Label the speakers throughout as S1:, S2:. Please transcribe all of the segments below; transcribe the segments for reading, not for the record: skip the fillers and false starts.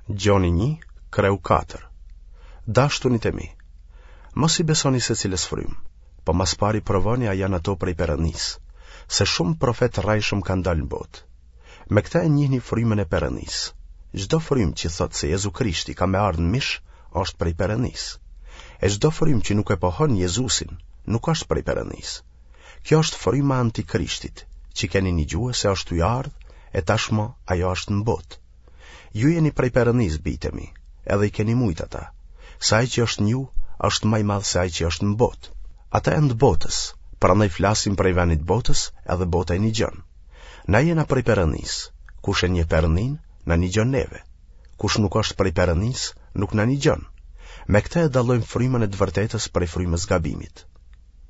S1: Gjoni 1, kreu 4. Dashtunit e mi, mos i besoni secilës frymë, po ma s'pari provoni a janë ato prej Perëndisë, se shumë profetë të rrejshëm kanë dalë në botë. Me këtë e njihni frymën e Perëndisë. Çdo frymë që thotë se Jezu Krishti ka me ardhë në mish, është prej Perëndisë. E çdo frymë që nuk e pohon Jezusin, nuk është prej Perëndisë. Kjo është fryma e Antikrishtit, që keni nigjue se është tuj ardhë, e tashmë ajo është në botë. Ju jeni prej Perëndisë, bijtë e mi, edhe i keni mujt ata, se ai që është në ju është ma i madh se ai që është në botë. Ata janë të botës, prandaj flasin prej venit të botës, edhe bota i nigjon. Na jena prej Perëndisë, kush e njeh Perëndinë, na nigjon neve. Kush nuk është prej Perëndisë, nuk na nigjon. Me këtë e dallojmë frymën e të vërtetës prej frymës gabimit.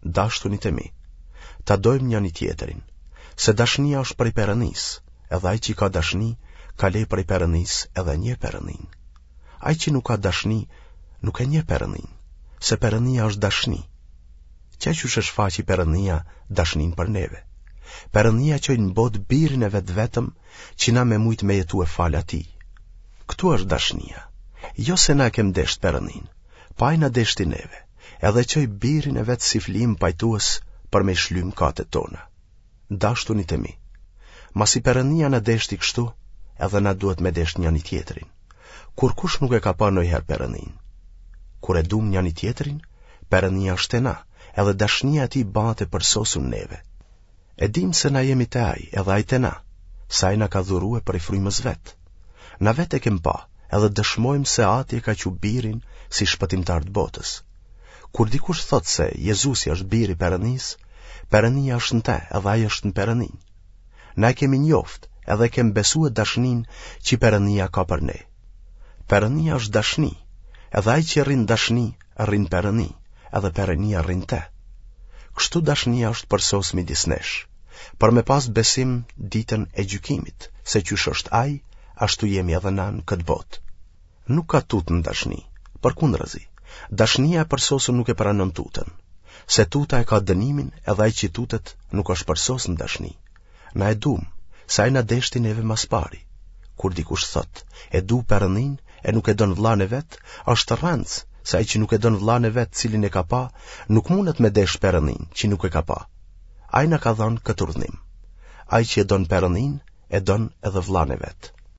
S1: Dashtunit e mi, ta dojmë njani-tjetrin, se dashnia është prej Perëndisë, edhe ai që ka dashni, ka le prej Perëndisë edhe njeh Perëndinë. Ai që nuk ka dashni, nuk e njeh Perëndinë, se Perëndia është dashni. Qe qysh e shfaqi Perëndia dashninë për neve. Perëndia çoi në botë birin e vet vetëm që na me mujt me jetue falë atij. Këtu është dashnia. Jo se na e kem deshtë Perëndinë, po ai na deshti neve, edhe çoi birin e vet si flijim pajtues për me i shly mëkatet tona. Dashtunit e mi, masi Perëndia na deshti kështu, edhe na duhet me deshtë njani-tjetrin. Kurkush nuk e ka pa ndonjëherë Perëndinë. Kur e dumë njani-tjetrin, Perëndia është te na, edhe dashnia e tij bahet e përsosun neve. E dimë se na jemi te ai, edhe ai te na, se ai na ka dhurue prej frymës vet. Na vetë e kem pa, edhe dëshmojmë se Ati e ka çu birin si shpëtimtar të botës. Kur dikush thotë se Jezusi është biri i Perëndisë, Perëndia është në te, edhe ai është në Perëndinë. Na e kemi njoft, edhe e kem besue dashninë që Perëndia ka për ne. Perëndia është dashni, edhe ai që rrin n'dashni, rrin n'Perëndi, edhe Perëndia rrin n'te. Kështu dashnia është përsos midis nesh, për me pas besim ditën e gjykimit, se qysh është ai, ashtu jemi edhe na në këtë botë. Nuk ka tutë në dashni, përkundrazi, dashnia e përsosur nuk e pranon tutën, se tuta e ka dënimin edhe ai që tutet nuk është përsos në dashni. Na e dumë, se ai na deshti neve ma s'pari. Kur dikush thotë, e du Perëndinë e nuk e don vëllanë e vet, është rrenc, se ai që nuk e don vëllanë e vet cilin e ka pa, nuk mundet me deshtë Perëndinë që nuk e ka pa. Ai na ka dhënë këtë urdhnim. Ai që e don Perëndinë, e don edhe vëllanë e vet.